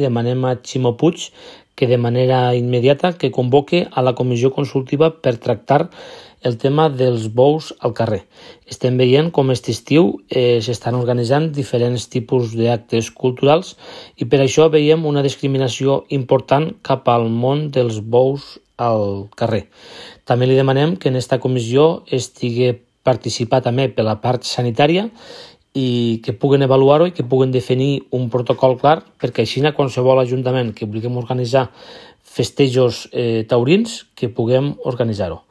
Demanem a Ximo Puig que de manera immediata que convoque a la comissió consultiva per tractar el tema dels bous al carrer. Estem veient com aquest estiu s'estan organitzant diferents tipus d'actes culturals i per això veiem una discriminació important cap al món dels bous al carrer. També li demanem que en aquesta comissió estigui participat també per la part sanitària i que puguen avaluar-ho i que puguen definir un protocol clar perquè així qualsevol ajuntament que vulguem organitzar festejos taurins que puguem organitzar-ho.